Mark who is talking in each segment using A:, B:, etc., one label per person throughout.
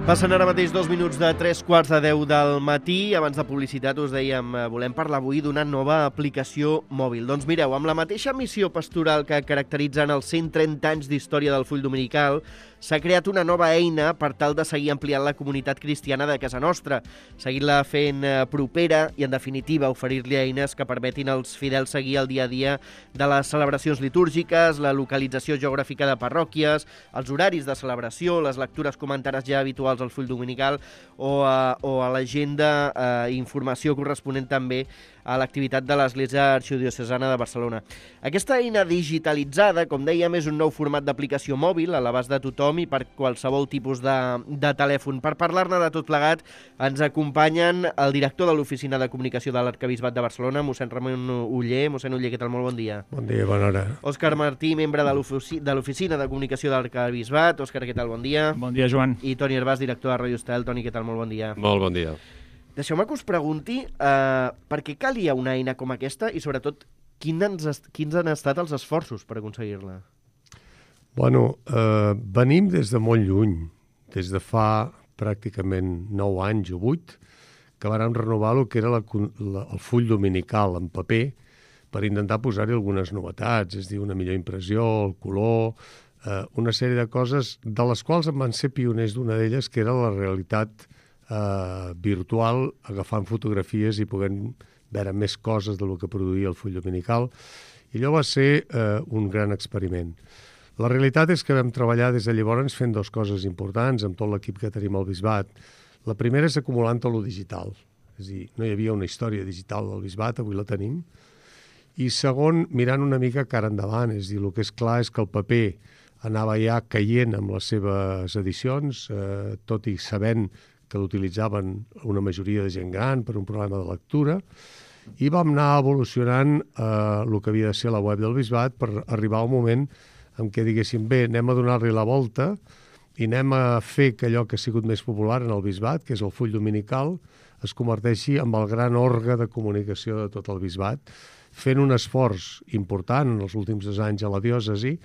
A: Passen ara mateix 2 minuts de 3:15 del matí. Abans de publicitat us dèiem, volem parlar avui d'una nova aplicació mòbil. Doncs mireu, amb la mateixa missió pastoral que caracteritzen els 130 anys d'història del Full Dominical, s'ha creat una nova eina per tal de seguir ampliant la comunitat cristiana de casa nostra, seguir-la fent propera i, en definitiva, oferir-li eines que permetin als fidels seguir el dia a dia de les celebracions litúrgiques, la localització geogràfica de parròquies, els horaris de celebració, les lectures comentades ja habituals al Full Dominical o a l'agenda i informació corresponent també a l'activitat de l'Església Arxidiocesana de Barcelona. Aquesta eina digitalitzada, com dèiem, és un nou format d'aplicació mòbil a l'abast de tothom i per qualsevol tipus de telèfon. Per parlar-ne de tot plegat ens acompanyen el director de l'Oficina de Comunicació de l'Arquebisbat de Barcelona, mossèn Ramon Oller. Mossèn Oller, què tal? Molt bon dia.
B: Bon dia, bona hora.
A: Òscar Martí, membre de l'Oficina de Comunicació de l'Arquebisbat. Òscar, què tal? Bon dia.
C: Bon dia, Joan.
A: I Toni Herbàs, director de Ràdio Estel. Toni, què tal? Molt bon dia.
B: Molt bon dia.
A: Deixeu-me que us pregunti per què calia una eina com aquesta i, sobretot, quins han estat els esforços per aconseguir-la?
B: Bueno, venim des de molt lluny, des de fa pràcticament 9 anys o 8, que vàrem renovar el que era el full dominical en paper per intentar posar-hi algunes novetats, és a dir, una millor impressió, el color, una sèrie de coses de les quals en van ser pioners d'una d'elles, que era la realitat virtual, agafant fotografies i podent veure més coses del que produïa el full dominical. I allò va ser un gran experiment. La realitat és que vam treballar des de llavors fent 2 coses importants amb tot l'equip que tenim al Bisbat. La primera és acumulant tot lo digital. És a dir, no hi havia una història digital del Bisbat, avui la tenim. I segon, mirant una mica cara endavant. És a dir, el que és clar és que el paper anava ja caient amb les seves edicions, tot i sabent que l'utilitzaven una majoria de gent gran per un problema de lectura, i vam anar evolucionant el que havia de ser la web del Bisbat per arribar al moment en què diguéssim, bé, anem a donar-li la volta i anem a fer que allò que ha sigut més popular en el Bisbat, que és el full dominical, es converteixi en el gran òrgan de comunicació de tot el Bisbat, fent un esforç important en els últims 2 anys a la diòcesi,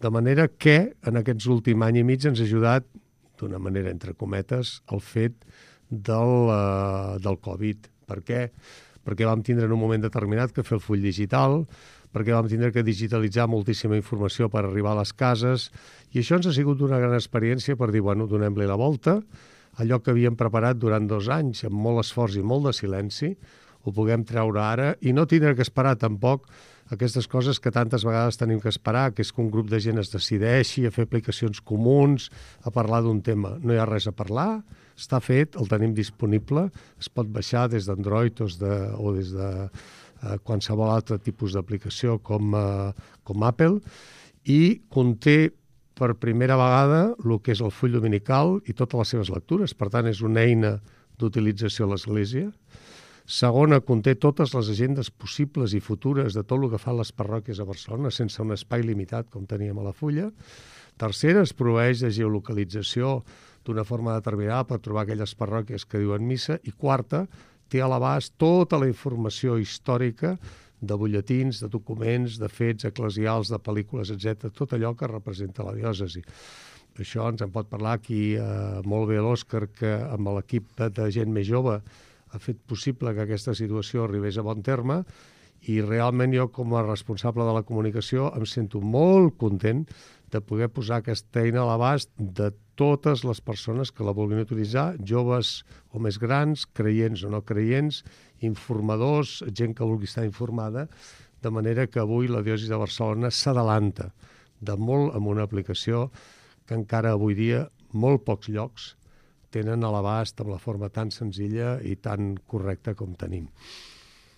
B: de manera que en aquests últims any i mig ens ha ajudat d'una manera, entre cometes, el fet del Covid. Per què? Perquè vam tindre en un moment determinat que fer el full digital, perquè vam tindre que digitalitzar moltíssima informació per arribar a les cases, i això ens ha sigut una gran experiència per dir, bueno, donem-li la volta, allò que havíem preparat durant 2 anys, amb molt esforç i molt de silenci, ho puguem treure ara i no tindre que esperar tampoc aquestes coses que tantes vegades tenim que esperar, que és que un grup de gent es decideixi a fer aplicacions comuns, a parlar d'un tema. No hi ha res a parlar, està fet, el tenim disponible, es pot baixar des d'Android o des de qualsevol altre tipus d'aplicació com Apple, i conté per primera vegada el que és el full dominical i totes les seves lectures. Per tant, és una eina d'utilització a l'Església. Segona, conté totes les agendes possibles i futures de tot el que fan les parròquies a Barcelona, sense un espai limitat com teníem a la fulla. Tercera, es proveeix de geolocalització d'una forma determinada per trobar aquelles parròquies que diuen missa. I quarta, té a l'abast tota la informació històrica de butlletins, de documents, de fets eclesials, de pel·lícules, etc. Tot allò que representa la diòcesi. Això ens en pot parlar aquí molt bé l'Òscar, que amb l'equip de gent més jove ha fet possible que aquesta situació arribés a bon terme, i realment jo, com a responsable de la comunicació, em sento molt content de poder posar aquesta eina a l'abast de totes les persones que la vulguin utilitzar, joves o més grans, creients o no creients, informadors, gent que vulgui estar informada, de manera que avui la diòcesi de Barcelona s'adalanta de molt amb una aplicació que encara avui dia molt pocs llocs tenen a l'abast amb la forma tan senzilla i tan correcta com tenim.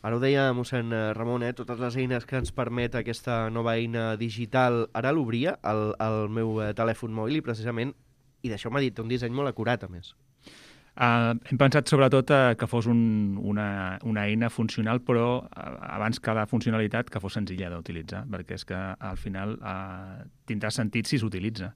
A: Ara ho deia mossèn Ramon, totes les eines que ens permet aquesta nova eina digital. Ara l'obria al meu telèfon mòbil i precisament, i d'això m'ha dit, un disseny molt acurat, a més.
C: Hem pensat sobretot que fos una eina funcional, però abans que la funcionalitat que fos senzilla d'utilitzar, perquè és que al final tindrà sentit si s'utilitza.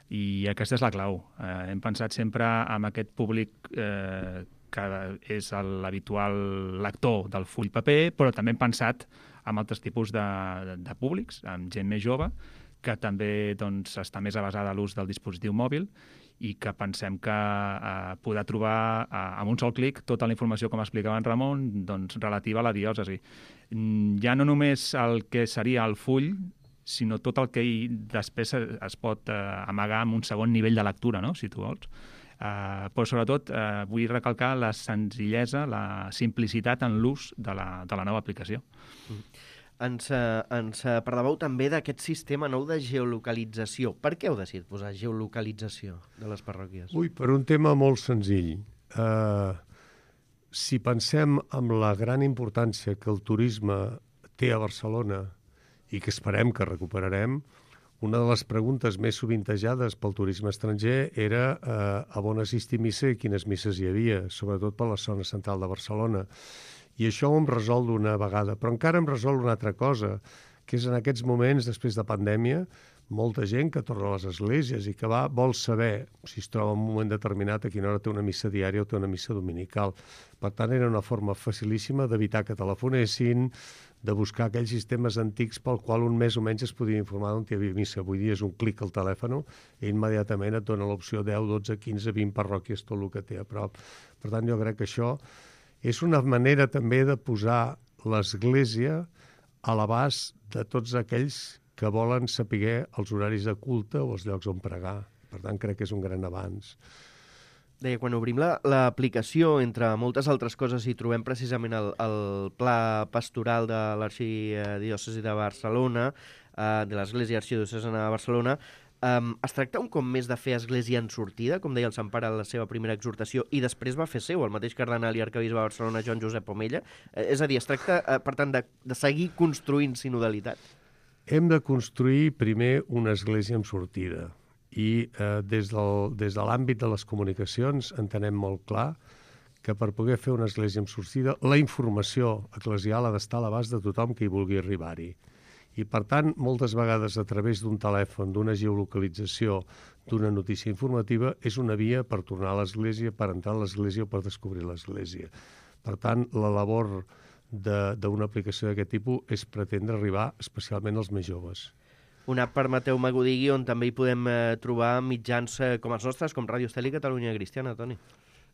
C: I aquesta és la clau. Hem pensat sempre en aquest públic que és l'habitual lector del full paper, però també hem pensat en altres tipus de públics, amb gent més jove, que també està més avasada a l'ús del dispositiu mòbil, i que pensem que podrà trobar amb un sol clic tota la informació, com explicava en Ramon, doncs, relativa a la diòcesi. Ja no només el que seria el full, sinó tot el que després es pot amagar en un segon nivell de lectura, no?, si tu vols. Però sobretot vull recalcar la senzillesa, la simplicitat en l'ús de la nova aplicació.
A: Ens parlàveu també d'aquest sistema nou de geolocalització. Per què heu decidit posar geolocalització de les parròquies?
B: Ui, per un tema molt senzill. Si pensem en la gran importància que el turisme té a Barcelona i que esperem que recuperarem, una de les preguntes més sovintejades pel turisme estranger era a on assistir a missa i quines misses hi havia, sobretot per la zona central de Barcelona. I això ho hem resolt d'una vegada, però encara hem resolt una altra cosa, que és en aquests moments, després de pandèmia, molta gent que torna a les esglésies i que vol saber si es troba en un moment determinat a quina hora té una missa diària o té una missa dominical. Per tant, era una forma facilíssima d'evitar que telefonessin, de buscar aquells sistemes antics pel qual un més o menys es podia informar d'on hi havia missa. Avui dia és un clic al telèfon i immediatament et dona l'opció 10, 12, 15, 20 parròquies, tot el que té a prop. Per tant, jo crec que això és una manera també de posar l'Església a l'abast de tots aquells que volen saber els horaris de culte o els llocs on pregar. Per tant, crec que és un gran avanç.
A: Deia, quan obrim l'aplicació, entre moltes altres coses, hi trobem precisament el pla pastoral de l'Arxidiòcesi de Barcelona, de l'Església Arxidiocesana de Barcelona. Es tracta un cop més de fer església en sortida, com deia el Sant Pare en la seva primera exhortació, i després va fer seu el mateix cardenal i arquebisbe de Barcelona, Joan Josep Omella. És a dir, es tracta, per tant, de seguir construint sinodalitat.
B: Hem de construir primer una església en sortida i des de l'àmbit de les comunicacions entenem molt clar que per poder fer una església en sortida la informació eclesial ha d'estar a l'abast de tothom que hi vulgui arribar-hi. I, per tant, moltes vegades a través d'un telèfon, d'una geolocalització, d'una notícia informativa, és una via per tornar a l'església, per entrar a l'església o per descobrir l'església. Per tant, la labor d'una aplicació d'aquest tipus és pretendre arribar especialment als més joves.
A: Una app, permeteu-me que ho digui, on també hi podem trobar mitjans com els nostres, com Ràdio Estel i Catalunya Cristiana, Toni.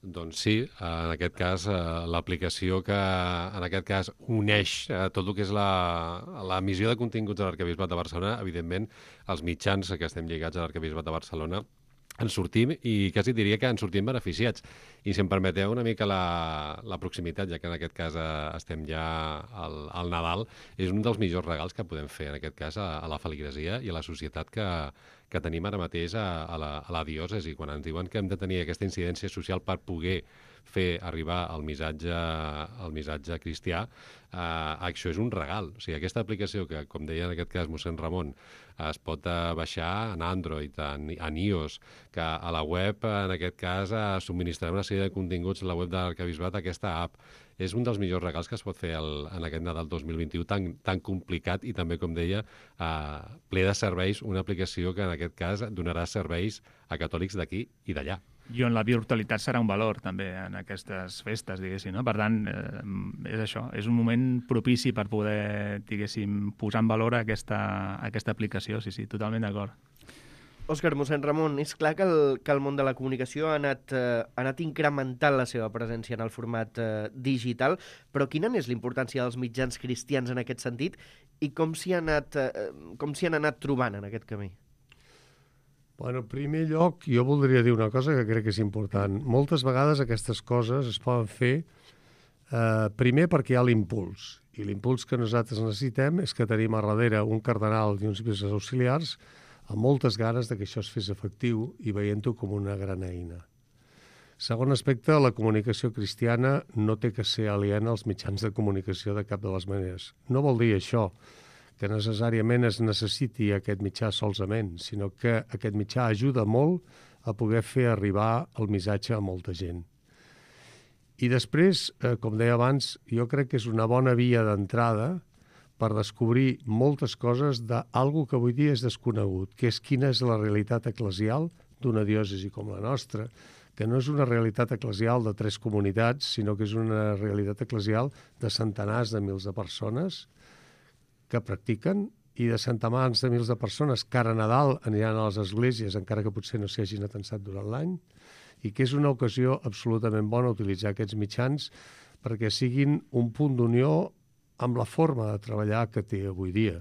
D: Doncs sí, en aquest cas l'aplicació que en aquest cas uneix tot el que és l'emissió de continguts de l'Arquebisbat de Barcelona, evidentment els mitjans que estem lligats a l'Arquebisbat de Barcelona en sortim i quasi diria que en sortim beneficiats. I si em permeteu una mica la proximitat, ja que en aquest cas estem ja al Nadal, és un dels millors regals que podem fer en aquest cas a la feligresia i a la societat que tenim ara mateix a la diòcesi, quan ens diuen que hem de tenir aquesta incidència social per poder fer arribar el missatge cristià, això és un regal. O sigui, aquesta aplicació que, com deia en aquest cas mossèn Ramon, es pot baixar en Android, en iOS, que a la web, en aquest cas, subministrarem una sèrie de continguts a la web de l'Arquebisbat, aquesta app. És un dels millors regals que es pot fer en aquest Nadal 2021 tan complicat i també, com deia, ple de serveis, una aplicació que en aquest cas donarà serveis a catòlics d'aquí i d'allà.
C: I on la virtualitat serà un valor també en aquestes festes, diguéssim, no? Per tant, és això, és un moment propici per poder, diguéssim, posar en valor aquesta aplicació, sí, totalment d'acord.
A: Òscar, mossèn Ramon, és clar que el món de la comunicació ha anat incrementant la seva presència en el format digital, però quina és la importància dels mitjans cristians en aquest sentit i com s'hi han anat trobant en aquest camí?
B: Bueno, en primer lloc, jo voldria dir una cosa que crec que és important. Moltes vegades aquestes coses es poden fer primer perquè hi ha l'impuls. I l'impuls que nosaltres necessitem és que tenim a darrere un cardenal i uns bisbes auxiliars amb moltes ganes de que això es fes efectiu i veient-ho com una gran eina. Segon aspecte, la comunicació cristiana no té que ser aliena als mitjans de comunicació de cap de les maneres. No vol dir això que necessàriament es necessiti aquest mitjà solament, sinó que aquest mitjà ajuda molt a poder fer arribar el missatge a molta gent. I després, com deia abans, jo crec que és una bona via d'entrada per descobrir moltes coses d'alguna que avui dia és desconegut, que és quina és la realitat eclesial d'una diòcesi com la nostra, que no és una realitat eclesial de 3 comunitats, sinó que és una realitat eclesial de centenars de mils de persones que practiquen i de centenars de mils de persones que ara a Nadal aniran a les esglésies, encara que potser no s'hi hagin atensat durant l'any, i que és una ocasió absolutament bona utilitzar aquests mitjans perquè siguin un punt d'unió amb la forma de treballar que té avui dia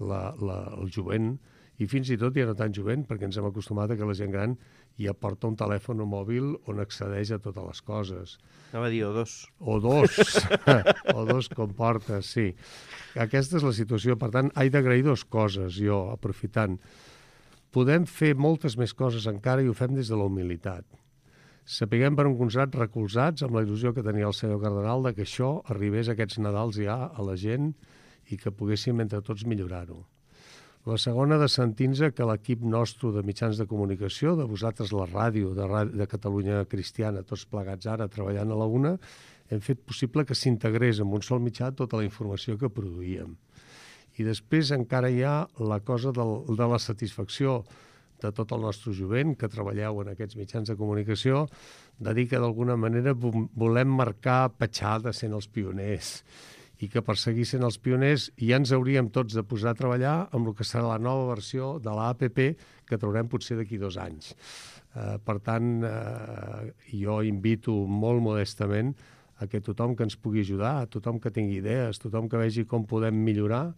B: el jovent, i fins i tot ja no tan jovent, perquè ens hem acostumat a que la gent gran ja porta un telèfon mòbil on accedeix a totes les coses.
A: Anava a dir o dos.
B: O dos. O dos com porta, sí. Aquesta és la situació. Per tant, he d'agrair dues coses, jo, aprofitant. Podem fer moltes més coses encara i ho fem des de la humilitat. Sapiguem per un costat recolzats amb la il·lusió que tenia el senyor cardenal de que això arribés aquests Nadals ja a la gent i que poguéssim entre tots millorar-ho. La segona, de sentir-nos que l'equip nostre de mitjans de comunicació, de vosaltres la ràdio, de Catalunya Cristiana, tots plegats ara treballant a la una, hem fet possible que s'integrés en un sol mitjà tota la informació que produïem. I després encara hi ha la cosa de la satisfacció de tot el nostre jovent que treballeu en aquests mitjans de comunicació, de dir que d'alguna manera volem marcar petjada sent els pioners i que per seguir sent els pioners ja ens hauríem tots de posar a treballar amb el que serà la nova versió de l'APP que traurem potser d'aquí 2 anys. Per tant, jo invito molt modestament a que tothom que ens pugui ajudar, tothom que tingui idees, tothom que vegi com podem millorar,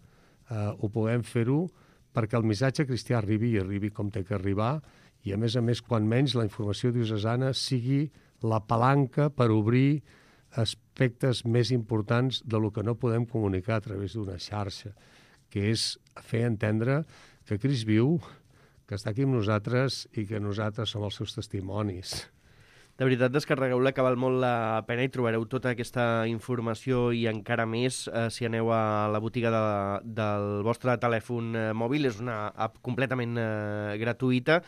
B: ho puguem fer-ho perquè el missatge cristià arribi com té que arribar i, a més, quan menys la informació diocesana sigui la palanca per obrir aspectes més importants de lo que no podem comunicar a través d'una xarxa, que és fer entendre que Crist viu, que està aquí amb nosaltres i que nosaltres som els seus testimonis.
A: De veritat, descarregueu-la, que val molt la pena i trobareu tota aquesta informació i encara més si aneu a la botiga del vostre telèfon mòbil. És una app completament gratuïta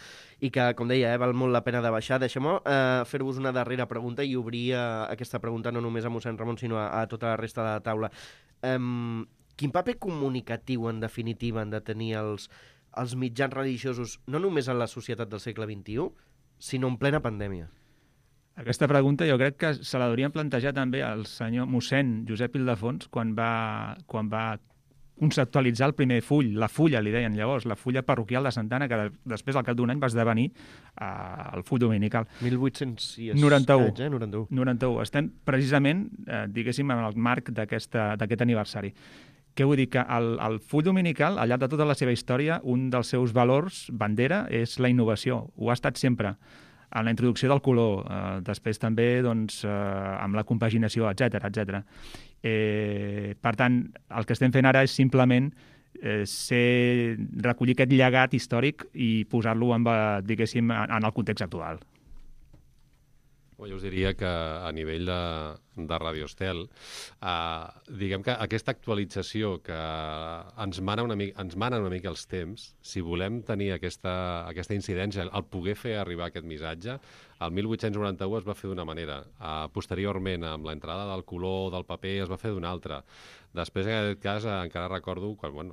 A: i que, com deia, val molt la pena de baixar. Deixem-me fer-vos una darrera pregunta i obrir aquesta pregunta no només a mossèn Ramon, sinó a tota la resta de la taula. Quin paper comunicatiu, en definitiva, han de tenir els mitjans religiosos, no només en la societat del segle XXI, sinó en plena pandèmia?
C: Aquesta pregunta jo crec que se la haurien plantejar també al senyor mossèn Josep Ildefons quan va conceptualitzar el primer full, la fulla, li deien llavors, la fulla parroquial de Santa Anna, que després, al cap d'un any, va esdevenir el full dominical.
A: 1891.
C: 91. Estem precisament, diguéssim, en el marc d'aquest aniversari. Què vull dir? Que el full dominical, al llarg de tota la seva història, un dels seus valors, bandera, és la innovació. Ho ha estat sempre. En la introducció del color, després també amb la compaginació, etc. Per tant, el que estem fent ara és simplement recollir aquest llegat històric i posar-lo, diguéssim, en el context actual.
D: Jo us diria que a nivell de Radio Estel, diguem que aquesta actualització que ens mana una mica els temps, si volem tenir aquesta incidència, el poder fer arribar aquest missatge, el 1891 es va fer d'una manera, posteriorment, amb l'entrada del color, del paper, es va fer d'una altra. Després, en aquest cas, encara recordo quan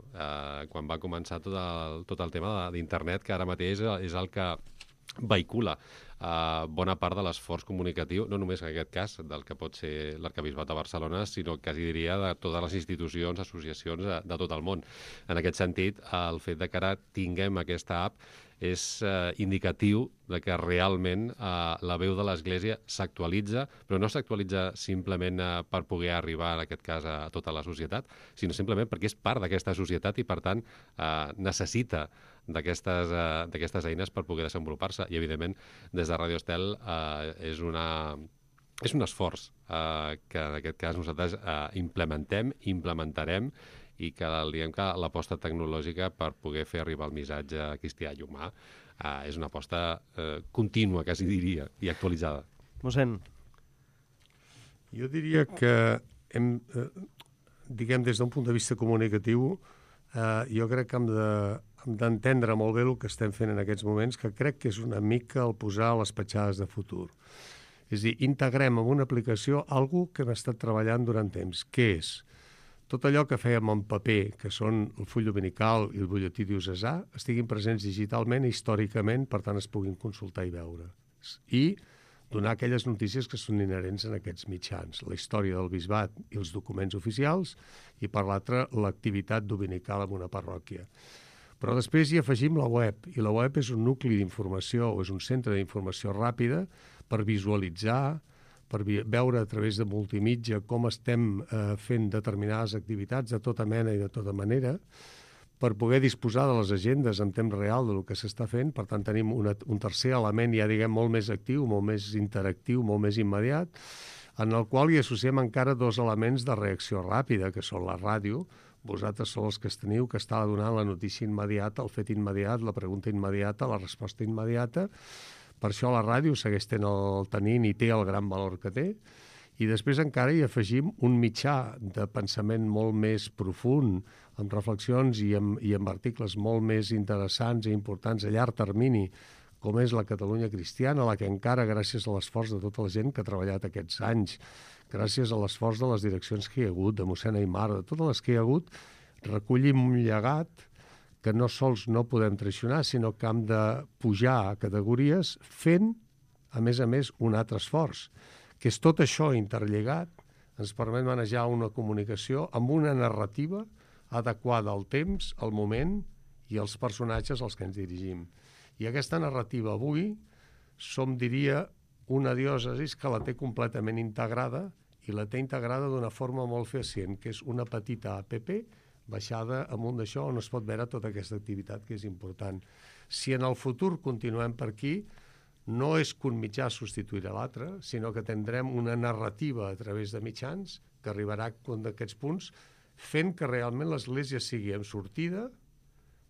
D: va començar tot el tema d'internet, que ara mateix és el que vehicula bona part de l'esforç comunicatiu, no només en aquest cas del que pot ser l'Arquebisbat de Barcelona, sinó quasi diria de totes les institucions, associacions de tot el món. En aquest sentit, el fet de que ara tinguem aquesta app és indicatiu de que realment la veu de l'Església s'actualitza, però no s'actualitza simplement per poder arribar, en aquest cas, a tota la societat, sinó simplement perquè és part d'aquesta societat i, per tant, necessita d'aquestes eines per poder desenvolupar-se. I, evidentment, des de Radio Estel és un esforç que, en aquest cas, nosaltres implementarem i que diguem que l'aposta tecnològica per poder fer arribar el missatge cristià i humà és una aposta contínua, quasi diria, i actualitzada.
A: Mossèn.
B: Jo diria que diguem, des d'un punt de vista comunicatiu, jo crec que hem d'entendre molt bé el que estem fent en aquests moments, que crec que és una mica el posar les petjades de futur. És a dir, integrem en una aplicació alguna que hem estat treballant durant temps. Què és? Tot allò que fèiem en paper, que són el full dominical i el butlletí diocesà, estiguin presents digitalment i històricament, per tant es puguin consultar i veure. I donar aquelles notícies que són inherents en aquests mitjans, la història del bisbat i els documents oficials, i per l'altra l'activitat dominical en una parròquia. Però després hi afegim la web, i la web és un nucli d'informació, o és un centre d'informació ràpida per visualitzar, per veure a través de multimitja com estem fent determinades activitats de tota mena i de tota manera, per poder disposar de les agendes en temps real del que s'està fent. Per tant, tenim un tercer element ja, diguem, molt més actiu, molt més interactiu, molt més immediat, en el qual hi associem encara dos elements de reacció ràpida, que són la ràdio. Vosaltres sou els que teniu que està donant la notícia immediata, el fet immediat, la pregunta immediata, la resposta immediata. Per això la ràdio segueix tenint i té el gran valor que té. I després encara hi afegim un mitjà de pensament molt més profund, amb reflexions i amb articles molt més interessants i importants a llarg termini, com és la Catalunya Cristiana, la que encara, gràcies a l'esforç de tota la gent que ha treballat aquests anys, gràcies a l'esforç de les direccions que hi ha hagut, de mossèn Aimar, de totes les que hi ha hagut, recollim un llegat que no sols no podem traicionar, sinó que hem de pujar a categories fent, a més, un altre esforç, que és tot això interlligat, ens permet manejar una comunicació amb una narrativa adequada al temps, al moment i als personatges als que ens dirigim. I aquesta narrativa avui som, diria, una diòcesi que la té completament integrada, i la té integrada d'una forma molt fecient, que és una petita app baixada amunt d'això on es pot veure tota aquesta activitat que és important. Si en el futur continuem per aquí, no és que un mitjà substituirà l'altre, sinó que tindrem una narrativa a través de mitjans que arribarà a un d'aquests punts, fent que realment l'Església sigui en sortida,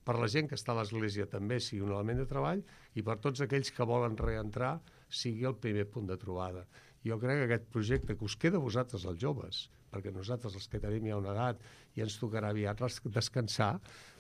B: per la gent que està a l'Església també sigui un element de treball, i per tots aquells que volen reentrar sigui el primer punt de trobada. Jo crec que aquest projecte que us queda a vosaltres, els joves, perquè nosaltres els que tenim ja una edat i ens tocarà aviat descansar,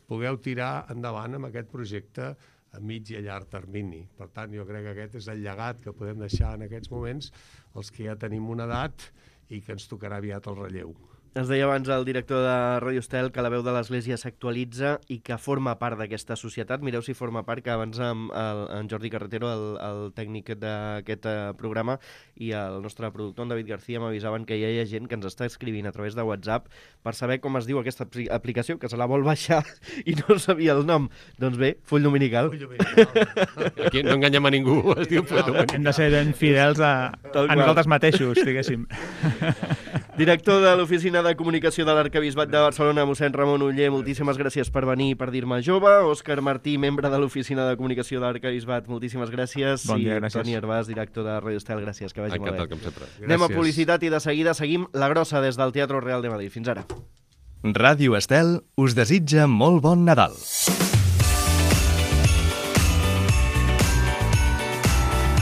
B: pugueu tirar endavant amb aquest projecte a mig i a llarg termini. Per tant, jo crec que aquest és el llegat que podem deixar en aquests moments els que ja tenim una edat i que ens tocarà aviat el relleu.
A: Ens deia abans el director de Ràdio Estel que la veu de l'Església s'actualitza i que forma part d'aquesta societat. Mireu si forma part, que abans en Jordi Carretero, el tècnic d'aquest programa, i el nostre productor, en David García, m'avisaven que ja hi ha gent que ens està escrivint a través de WhatsApp per saber com es diu aquesta aplicació, que se la vol baixar i no sabia el nom. Doncs bé, Full Dominical.
D: Aquí no enganyem a ningú, es diu Full Dominical.
C: Hem de ser ben fidels a nosaltres mateixos, diguéssim.
A: Director de l'Oficina de Comunicació de l'Arquebisbat de Barcelona, mossèn Ramon Oller, moltíssimes gràcies per venir i per dir-me jove. Òscar Martí, membre de l'Oficina de Comunicació de l'Arquebisbat, moltíssimes gràcies.
C: Bon dia, gràcies.
A: I Toni Hervàs, director de Ràdio Estel, gràcies, que vagi molt bé.
D: Encantat, com sempre.
A: Anem a publicitat i de seguida seguim La Grossa des del Teatre Real de Madrid. Fins ara.
E: Ràdio Estel us desitja molt bon Nadal.